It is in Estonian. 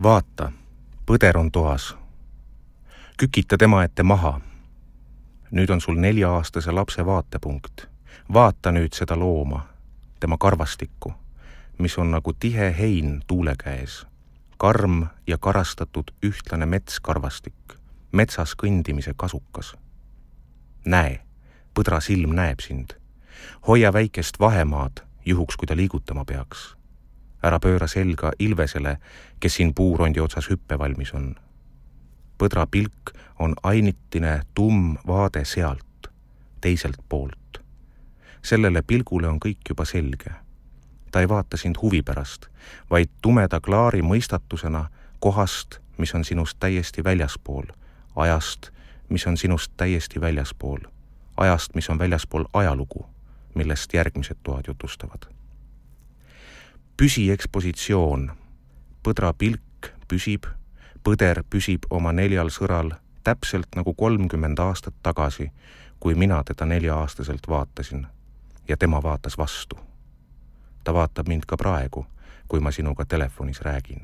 Vaata, põder on toas. Kükita tema ette maha. Nüüd on sul 4-aastase lapse vaatepunkt. Vaata nüüd seda looma, tema karvastikku, mis on nagu tihe hein tuule käes. Karm ja karastatud ühtlane metskarvastik, metsas kõndimise kasukas. Näe, põdra silm näeb sind. Hoia väikest vahemaad, juhuks kui ta liigutama peaks. Ära pööra selga Ilvesele, kes siin puurondi otsas hüppevalmis on. Põdra pilk on ainitine vaade sealt, teiselt poolt. Sellele pilgule on kõik juba selge. Ta ei vaata sind huvi pärast, vaid tumeda klaari mõistatusena kohast, mis on sinust täiesti väljaspool, ajast, mis on sinust täiesti väljaspool, ajast, mis on väljaspool ajalugu, millest järgmised toad jutustavad. Püsi ekspositsioon. Põdra pilk püsib, põder püsib oma 4 sõral täpselt nagu 30 aastat tagasi, kui mina teda 4-aastaselt vaatasin ja tema vaatas vastu. Ta vaatab mind ka praegu, kui ma sinuga telefonis räägin.